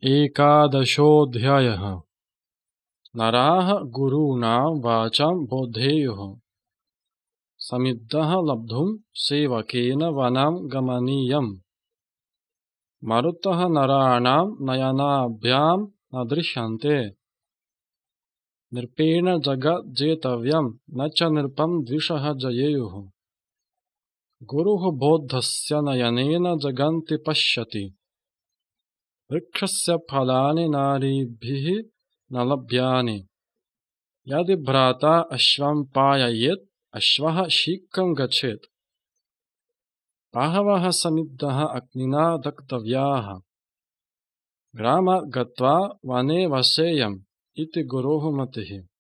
एकादशोऽध्यायः। नराः गुरूणां वाचां बोधेयुः। समिद्धः लब्धुं सेवकेन वनं गमनीयम्। मरुतः नराणां नयनाभ्यां न दृश्यन्ते। नृपेण जगज्जेतव्यं न च नृपं द्विषः जयेयुः। गुरुः बौद्धस्य नयनेन जगन्ति पश्यति। वृक्षस्य फलानि नारीभिः न लभ्यानि। यदि भ्राता अश्वं पाययेत् अश्वः शीघ्रं गच्छेत्। बहवः समिद्धः अग्निना दग्धव्याः। ग्रामात् गत्वा वने वसेयम् इति गुरोः मतिः।